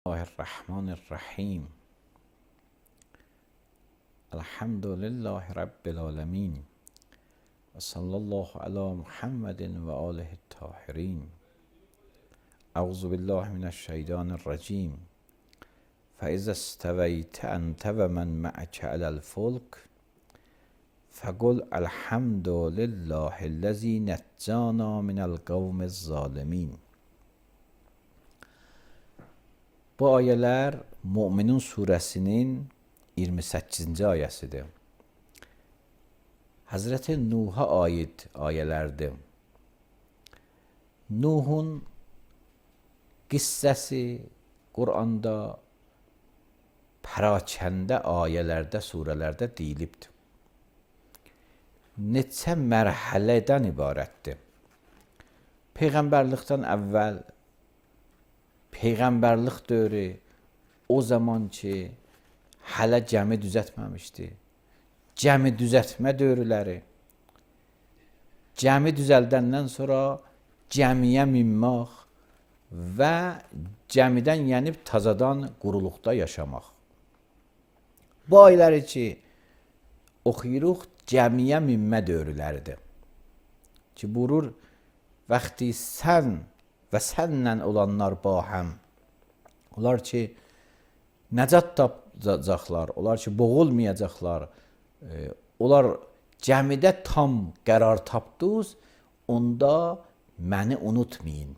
Bismillahirrahmanirrahim. Elhamdülillahi Rabbil alemin. Ve sallallahu ala Muhammedin ve alihi tahirin. Euzu billahi mineşşeytanirracim. فإذا استويت أنت ومن معك على الفلك فقل الحمد لله الذي نجانا من القوم الظالمين. Bu ayələr Möminun surəsinin 28-ci ayəsidir. Həzrəti Nuh'a aid ayələrdir. Nuhun qissəsi Quranda pərakəndə ayələrdə, surələrdə deyilibdir. Neçə mərhələdən ibarətdir. Peyğəmbərlikdən əvvəl Peyğəmbərlik dövrü o zaman ki, hələ gəmi düzəltməmişdi. Gəmi düzəltmə dövrləri, gəmi düzəldəndən sonra gəmiyə minmək və gəmidən yenib tazadan quruluqda yaşamaq. Bu ayları ki, oxuyuruq, gəmiyə minmə dövrləridir. Ki, buyurur, vaxtı sən və sənlə olanlar bahəm. Onlar ki, nəcat tapacaqlar, onlar ki, boğulmayacaqlar. Onlar gəmidə tam qərar tapdınız, onda məni unutmayın.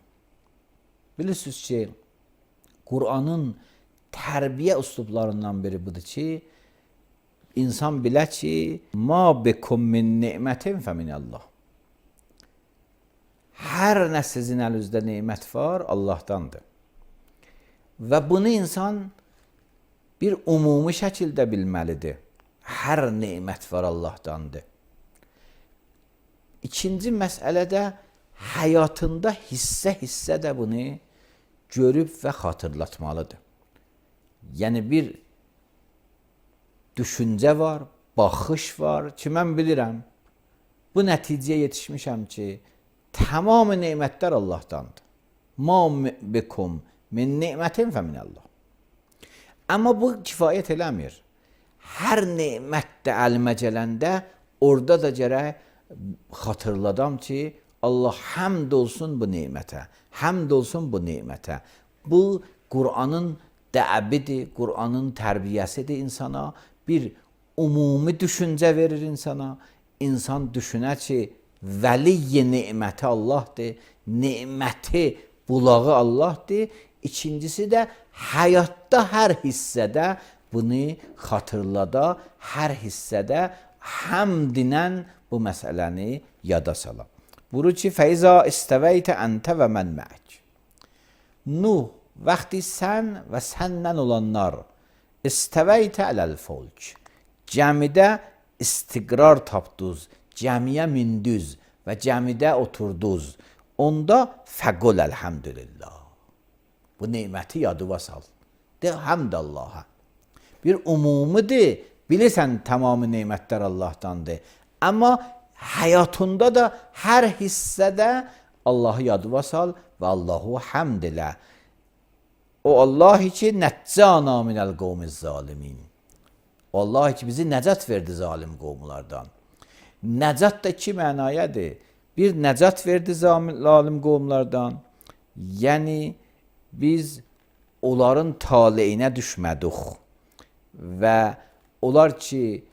Bilirsiniz ki, Qur'anın tərbiyə üslublarından biri budur ki, insan bilə ki, ma bekum min ni'mətin fə minəllah. Hər nə sizin əlinizdə nemət var, Allahdandır. Və bunu insan bir ümumi şəkildə bilməlidir. Hər nemət var Allahdandır. İkinci məsələdə həyatında hissə də bunu görüb və xatırlatmalıdır. Yəni bir düşüncə var, baxış var ki, mən bilirəm, bu nəticəyə yetişmişəm ki, tamam nemətlər Allahdandır. Ma bekum min ni'mətin fə minəllah. Amma bu kifayət eləmir. Hər nemətdə əlimə gələndə orada da gərək xatırladam ki, Allah həmd olsun bu nemətə, həmd olsun bu nemətə. Bu Qur'anın dəbidir, Qur'anın tərbiyəsidir insana. Bir ümumi düşüncə verir insana. İnsan düşünər ki, vəliy neməti Allahdır, neməti bulağı Allahdır. İkincisi də həyatda hər hissədə bunu xatırlada, hər hissədə həmdinə bu məsələni yada sala. Buyurur ki, fəizə istəvəytə əntə və mən məək. Nuh, vaxtı sən və səndən olanlar istəvəytə ələl-fulk. Gəmidə istiqrar tapdınız, gəmiyə mindiniz və gəmidə oturdunuz. Onda fəqul əlhəmdülillah. Bu neməti yadıva sal. De həmd Allaha. Bir umumidir, bilirsən tamamı nemətlər Allahdandır. Amma həyatında da hər hissədə Allahı yadıva sal və Allahu həmd elə. O Allah ki, nəccana minəl qovmiz zalimin. O Allah ki, bizi nəcat verdi zalim qovmulardan. Nəcat da iki mənayədir. Bir, nəcat verdi zalim qovmlardan. Yəni, biz onların taleyinə düşmədik. Və onlar ki,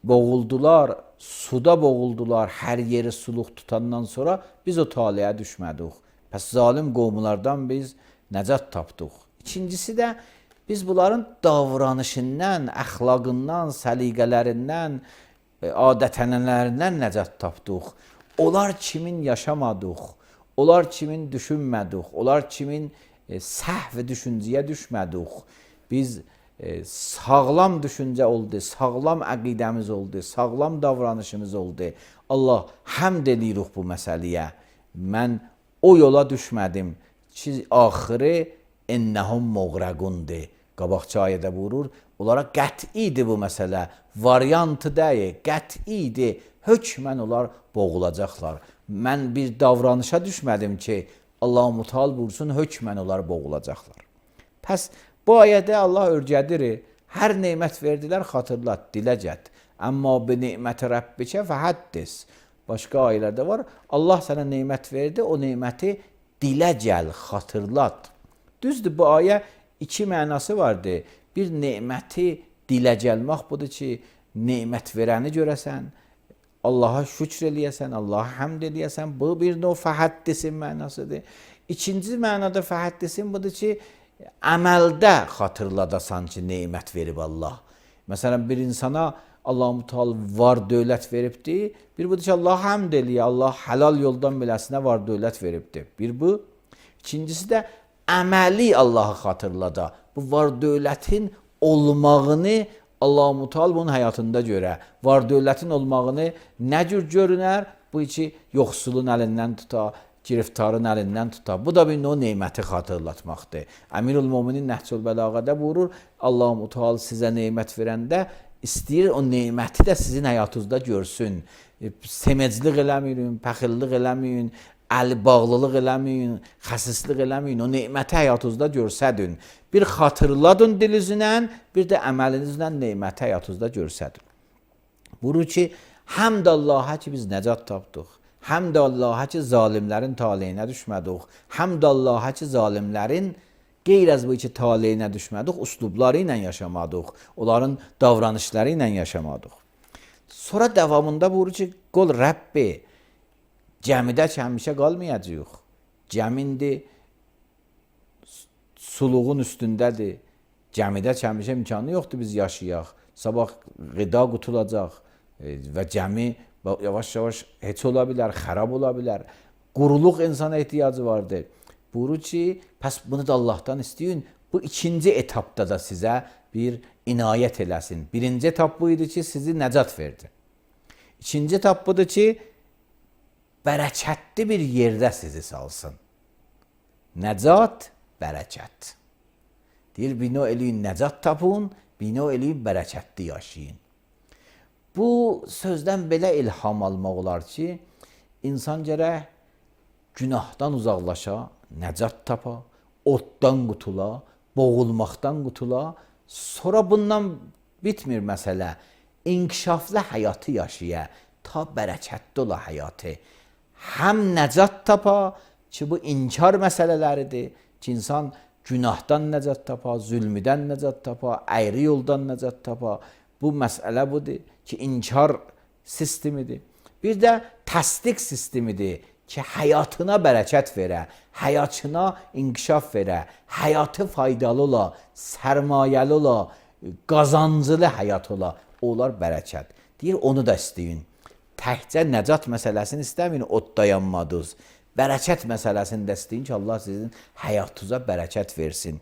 boğuldular, suda boğuldular, hər yeri suluq tutandan sonra biz o taleyə düşmədik. Pəs zalim qovmlardan biz nəcat tapdıq. İkincisi də biz bunların davranışından, əxlaqından, səliqələrindən, adət-ənənələrindən nəcat tapdıq. Onlar kimin yaşamadıq, onlar kimin düşünmədik, onlar kimin səhv düşüncəyə düşmədik. Biz sağlam düşüncə oldu, sağlam əqidəmiz oldu, sağlam davranışımız oldu. Allah həmd edirik bu məsələyə. Mən o yola düşmədim ki, axırı ennəhum muğraqundur. Qabaqçı ayədə buyurur, onlara qət'idir bu məsələ, variantı deyil, qət'idir, hökmən onlar boğulacaqlar. Mən bir davranışa düşmədim ki, Allah-u Muteal buyursun, hökmən onlar boğulacaqlar. Pəs bu ayədə Allah örgədir. Hər nemət verdilər, xatırlat, dilə get. Amma bi neməti Rabbikə fəhaddis. Başqa ayələrdə var. Allah sənə nemət verdi, o neməti dilə gəl, xatırlat. Düzdür, bu ayə iki mənası vardı. Bir neməti dilə gəlmək budur ki, nemət verəni görəsən, Allaha şükr eləyəsən, Allaha həmd eləyəsən. Bu bir növ fəhəddisin mənasıdır. İkinci mənada fəhəddisin budur ki, əməldə xatırladasan ki, nemət verib Allah. Məsələn, bir insana Allah-u Teala var dövlət veribdir. Bir budur ki, Allah həmd eləyə, Allah halal yoldan beləsinə var dövlət veribdir. Bir bu. İkincisi də əməli Allahı xatırlada. Bu var dövlətin olmağını Allah-u Teala bunun həyatında görə. Var dövlətin olmağını nə cür görünər? Bu ki, yoxsulun əlindən tuta, giriftarın əlindən tuta. Bu da bir o neməti xatırlatmaqdır. Əmirül Möminin Nəhcül Bəlağədə buyurur, Allah-u Teala sizə nemət verəndə istəyir o neməti də sizin həyatınızda görsün. Seməclik eləməyin, pəxillik eləməyin, əli bağlılıq eləməyin, xəsislik eləməyin, o neməti həyatınızda görsədin. Bir xatırladın dilinizlə, bir də əməlinizlə neməti həyatınızda görsədin. Buyurur ki, həmd Allaha ki biz nəcat tapdıq. Həmd Allaha ki zalimlərin taleyinə düşmədik. Həmd Allaha ki zalimlərin qeyr az bu ki taleyinə düşmədik, uslubları ilə yaşamadıq. Onların davranışları ilə yaşamadıq. Sonra davamında buyurur ki, qol Rəbbi, cəmidə ki həmişə qalmayacaq. Cəmindi suluğun üstündədir. Cəmidə ki həmişə imkanı yoxdur biz yaşayaq. Sabah qida qutulacaq və cəmi yavaş-yavaş heç ola bilər, xarab ola bilər. Quruluq insana ehtiyacı vardır. Buyurur ki, pəs bunu da Allahdan istəyin. Bu ikinci etapda da sizə bir inayət eləsin. Birinci etap bu idi ki, sizi nəcat verdi. İkinci etap budur ki, bərəkətli bir yerdə sizi salsın. Nəcat, bərəkət. Deyir, bino eləyin nəcat tapın, bino eləyin bərəkətli yaşayın. Bu sözdən belə ilham almaq olar ki, insan gərək günahdan uzaqlaşa, nəcat tapa, otdan qutula, boğulmaqdan qutula, sonra bundan bitmir məsələ. İnkişaflı həyatı yaşaya, ta bərəkətli ola həyatı. Həm nəcat tapa ki, bu inkar məsələləridir ki, insan günahdan nəcat tapa, zülmüdən nəcat tapa, əyri yoldan nəcat tapa. Bu məsələ budur ki, inkar sistemidir. Bir də təsdiq sistemidir ki, həyatına bərəkət verə, həyatına inkişaf verə, həyatı faydalı ola, sərmayəli ola, qazancılı həyat ola. Onlar bərəkət. Deyir, onu da istəyin. Təkcə nəcat məsələsini istəməyin, odda yanmadınız. Bərəkət məsələsini də istəyin ki, Allah sizin həyatınıza bərəkət versin.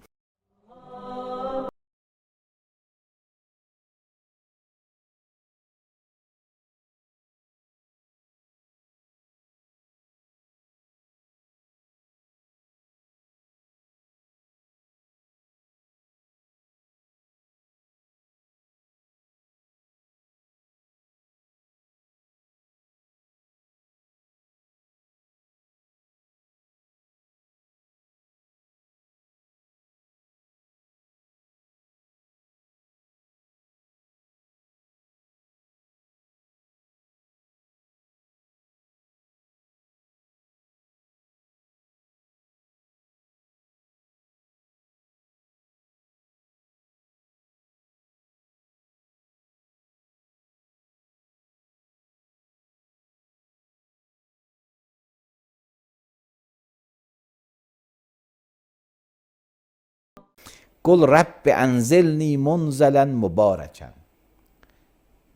Qul Rabbi ənzilni munzələn mübarəkən.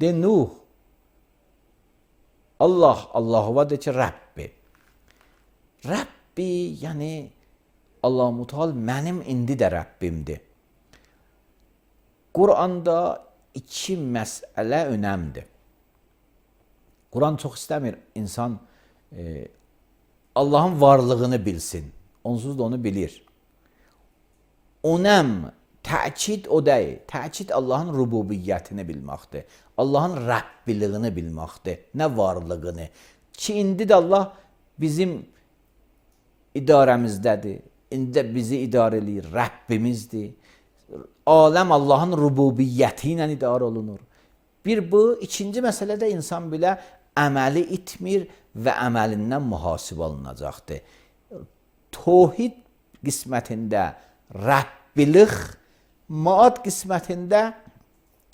De Nuh, Allah'a de ki Rabbi. Rabbi yəni Allah-u Teala mənim indi də Rabbimdir. Quranda iki məsələ önəmdir. Quran çox istəmir insan Allahın varlığını bilsin. Onsuz da onu bilir. Onəm, təkid o deyil. Təkid Allahın rububiyyətini bilməkdir. Allahın Rəbbiliyini bilməkdir. Nə varlığını. Ki, indi də Allah bizim idarəmizdədir. indi bizi idarə eləyir, Rəbbimizdir. Aləm Allahın rububiyyəti ilə idarə olunur. Bir bu, ikinci məsələ də insan bilə əməli itmir və əməlindən mühasibə alınacaqdır. Tohid qismətində Rəbbilik, maad qismətində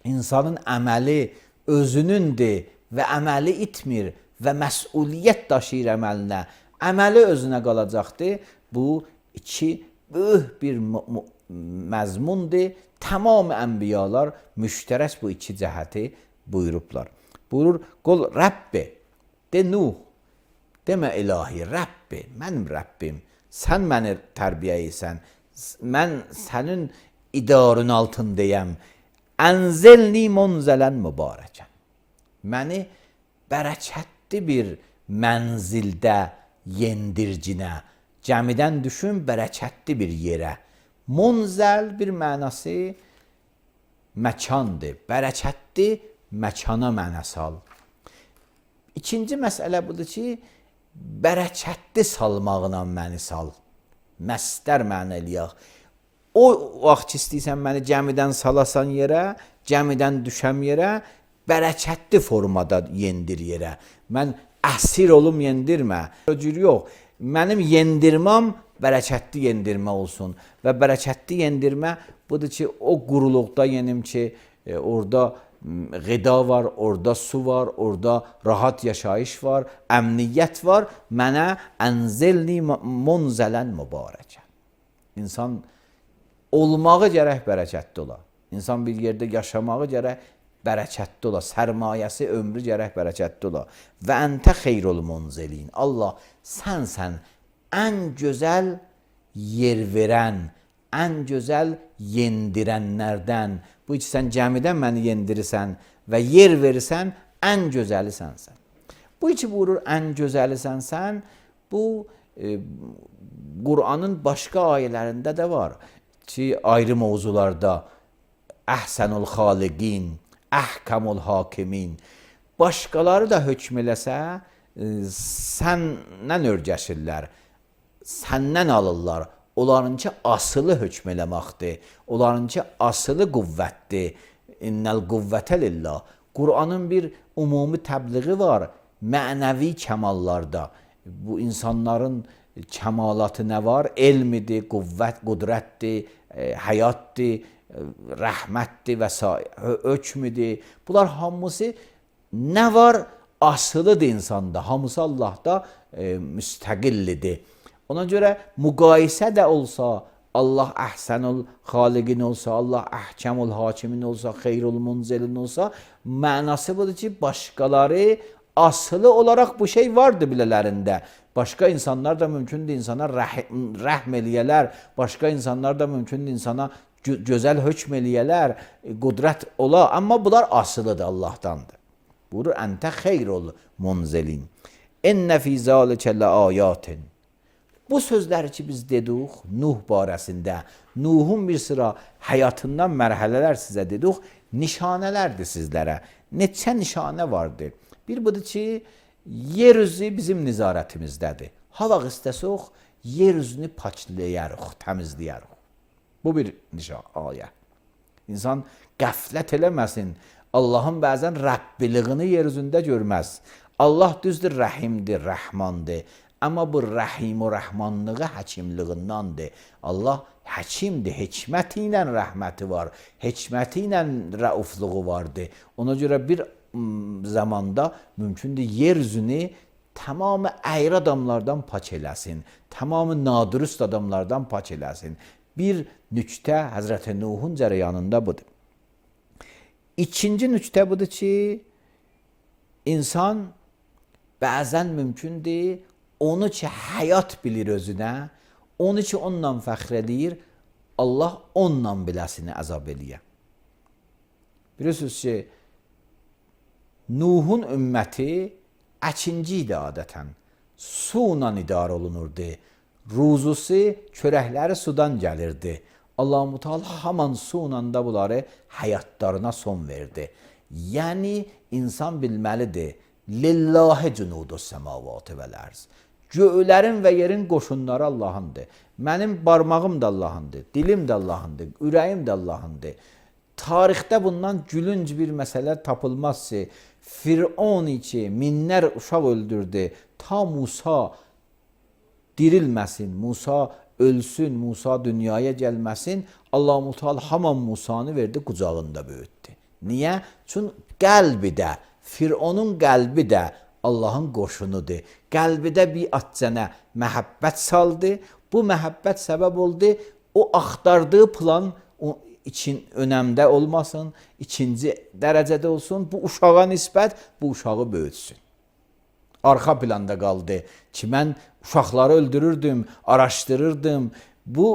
insanın əməli özünündür və əməli itmir və məsuliyyət daşıyır əməlinə. Əməli özünə qalacaqdır. Bu iki böyük bir məzmundur. Tamam ənbiyalar müştərək bu iki cəhəti buyurublar. Buyurur, qol Rəbbi, de Nuh, demə ilahi, Rəbbi, mənim Rəbbim, sən məni tərbiyə edirsən, mən sənin idarın altındayam. Ənzilni munzələn mübarəkən. Məni bərəkətli bir mənzildə yendircinə, cəmidən düşün bərəkətli bir yerə. Munzəl bir mənası məkandır, bərəkətli məkana mənası al. İkinci məsələ budur ki, bərəkətli salmağına məni sal. Məstər mənə eləyək. O vaxt ki, istəyirsən məni cəmidən salasan yerə, cəmidən düşəm yerə, bərəkətli formada yendir yerə. Mən əsir olum yendirmə. O cür yox. Mənim yendirməm bərəkətli yendirmə olsun. Və bərəkətli yendirmə budur ki, o quruluqda yenim ki, orada qida var, orada su var, orada rahat yaşayış var, əmniyyət var. Mənə ənzilni munzələn mübarəkən. İnsan olmağı gərək bərəkətli ola. İnsan bir yerdə yaşamağı gərək bərəkətli ola. Sərmayəsi, ömrü gərək bərəkətli ola. Və əntə xeyrul munzilin. Allah, sənsən ən gözəl yer verən, ən gözəl yendirənlərdən. Bu ki, sən cəmidən məni yendirirsən və yer verirsən, ən gözəli sənsən. Bu ki, buyurur, ən gözəli sənsən, bu Qur'anın başqa ayələrində də var ki, ayrı mövzularda əhsənul xaliqin, əhkəmul hakimin. Başqaları da hökm eləsə, səndən örgəşirlər, səndən alırlar. Onlarınki asılı hökm eləməkdir. Onlarınki asılı qüvvətdir. İnnəl qüvvətə lillah. Qur'anın bir ümumi təbliği var, mənəvi kəmallarda. Bu insanların kəmalatı nə var? Elmidir, qüvvət, qudrətdir, həyatdır, rəhmətdir və s. Hökmüdür. Bunlar hamısı nə var? Asılıdır insanda. Hamısı Allahda müstəqillidir. Ona görə müqayisə də olsa, Allah əhsənul xaliqin olsa, Allah əhkəmul hakimin olsa, xeyrul munzilin olsa, mənası budur ki, başqaları asılı olaraq bu şey vardır bilələrində. Başqa insanlar da mümkündür insana rəhm eləyələr, başqa insanlar da mümkündür insana gözəl hökm eləyələr, qudrət ola, amma bunlar asılıdır Allahdandır. Buyurur, əntə xeyrul munzilin. Ennə fî zâlikə ləâyâtin. Bu sözləri ki, biz dedik Nuh barəsində, Nuhun bir sıra həyatından mərhələlər sizə dedik, nişanələrdir sizlərə. Neçə nişanə vardır? Bir budur ki, yer üzü bizim nizarətimizdədir. Hava istəsək, yer üzünü paklayarıq, təmizləyərıq. Bu bir ayə. İnsan qəflət eləməsin. Allahın bəzən Rəbbiliyini yer üzündə görməz. Allah düzdür, rəhimdir, rəhmandır. Amma bu rəhim və rəhmanlığı həkimliğindandır. Allah həkimdir, hikməti ilə rəhməti var, hikməti ilə rəufluğu vardır. Ona görə bir zamanda mümkündür yer üzünü tamamı əyri adamlardan pak eləsin, tamamı nadürüst adamlardan pak eləsin. Bir nüktə Həzrəti Nuhun cərəyanında budur. İkinci nüktə budur ki, insan bəzən mümkündür, onu ki, həyat bilir özünə, onu ki, onunla fəxr edir, Allah onunla biləsini əzab eləyə. Bilirsiniz ki, Nuhun ümməti əkinci idi adətən. Su ilə idarə olunurdu. Ruzusu, çörəkləri sudan gəlirdi. Allah-u Teala haman su ilə da bunları həyatlarına son verdi. Yəni, insan bilməlidir, lillahi cunudus səmavatı vəl ərz. Göylərin və yerin qoşunları Allahındır. Mənim barmağım da Allahındır, dilim də Allahındır, ürəyim də Allahındır. Tarixdə bundan gülünc bir məsələ tapılmaz ki, Firon ki, minlər uşaq öldürdü, ta Musa dirilməsin, Musa ölsün, Musa dünyaya gəlməsin, Allah-u Teala haman Musanı verdi, qucağında böyütdü. Niyə? Çünki qəlbi də, Fironun qəlbi də Allahın qoşunudur. Qəlbidə bir atcənə məhəbbət saldı, bu məhəbbət səbəb oldu, o axtardığı plan için önəmdə olmasın, ikinci dərəcədə olsun, bu uşağa nisbət bu uşağı böyütsün. Arxa planda qaldı ki, mən uşaqları öldürürdüm, araşdırırdım. Bu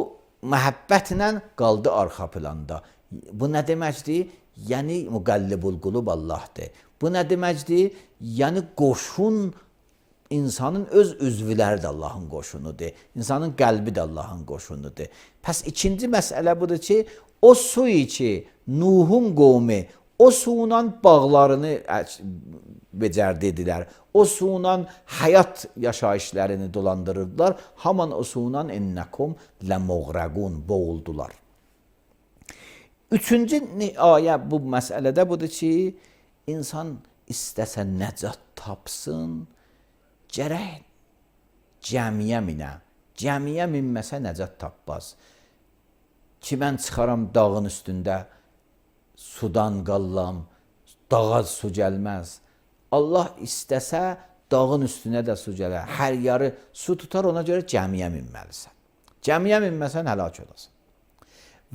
məhəbbətlə qaldı arxa planda. Bu nə deməkdir? Yəni müqəllibul qulub Allahdır. Bu nə deməkdir? Yəni qoşun insanın öz üzvləri də Allahın qoşunudur. İnsanın qəlbi də Allahın qoşunudur. Pəs ikinci məsələ budur ki, o su ki, Nuhun qovmi o suyla bağlarını becərdilər. O suyla həyat yaşayışlarını dolandırırdılar. Haman o suyla ennekum lemuğraqun boğuldular. Üçüncü ayə bu məsələdə budur ki, insan istəsə nəcat tapsın, gərək cəmiyə minə. Cəmiyə minməsə nəcat tapmaz. Ki, mən çıxaram dağın üstündə, sudan qallam, dağa su gəlməz. Allah istəsə dağın üstünə də su gələr. Hər yarı su tutar, ona görə cəmiyə minməlisən. Cəmiyə minməsən həlak olasın.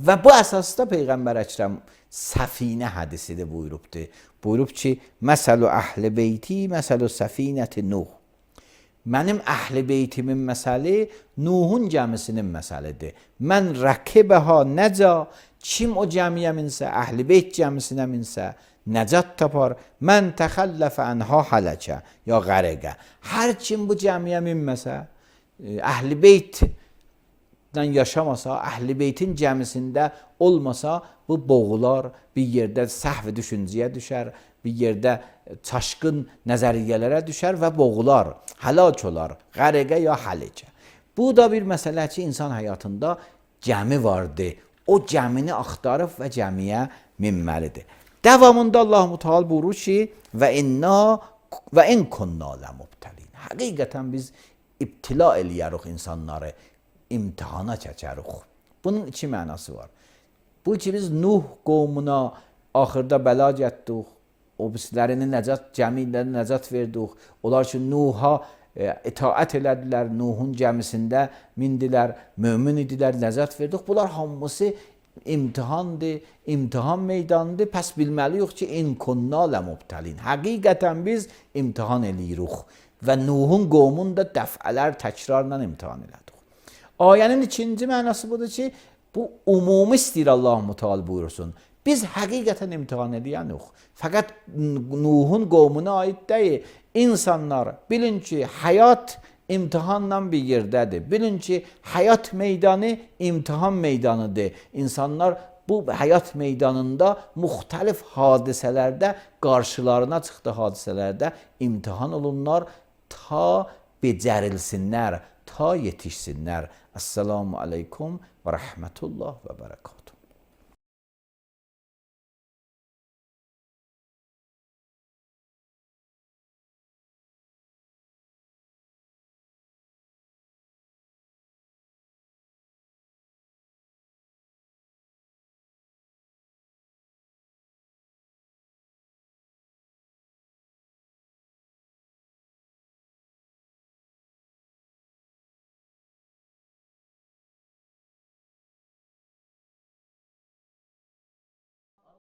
Və bu əsasda Peyğəmbər Əkrəm səfinə hədisidir buyurubdur. Buyurub ki, məsəlu əhl-i beyti, məsəlu səfinəti Nuh. Mənim əhl-i beytimin məsəli Nuhun gəmisinin məsəlidir. Mən rəkibəhə nəca, kim o gəmiyə minsə, əhl-i beyt gəmisinə minsə, nəcat tapar. Mən təxəlləfə ənhə hələkə, ya qərəqə. Hər kim bu gəmiyə minməsə, əhl-i beytdən yaşamasa, əhl-i beytin gəmisində olmasa, bu boğular, bir yerdə səhv düşüncəyə düşər, bir yerdə çaşqın nəzəriyyələrə düşər və boğular, həlak olar, qərəqə ya həlikə. Bu da bir məsələ ki, insan həyatında gəmi vardır. O gəmini axtarıb və gəmiyə minməlidir. Davamında Allah-u Teala buyurur ki, və in kunna ləmubtəlin. Həqiqətən biz ibtila eləyərik insanları, imtihana çəkərik. Bunun iki mənası var. Bu ki, biz Nuh qovmuna axırda bəla getdik, o bizlərini nəcat, gəmilərini nəcat verdik. Onlar ki, Nuh'a itaət elədilər, Nuhun gəmisində mindilər, mömin idilər, nəcat verdik. Bunlar hamısı imtihandır, imtihan meydanıdır. Pəs bilməliyik ki, in kunna ləmubtəlin. Həqiqətən biz imtihan eləyirik və Nuhun qovmunu da dəfələr təkrarla imtihan elədik. Ayənin ikinci mənası budur ki, bu umumi istəyir Allah-u Teala buyursun. Biz həqiqətən imtihan edəyənik. Fəqət Nuhun qovmuna aid deyil. İnsanlar bilin ki, həyat imtihanla bir yerdədir. Bilin ki, həyat meydanı imtihan meydanıdır. İnsanlar bu həyat meydanında müxtəlif hadisələrdə, qarşılarına çıxdığı hadisələrdə imtihan olunlar ta becərilsinlər, ta yetişsinlər. Esselamu aleykum və rəhmətullah və bərəkət.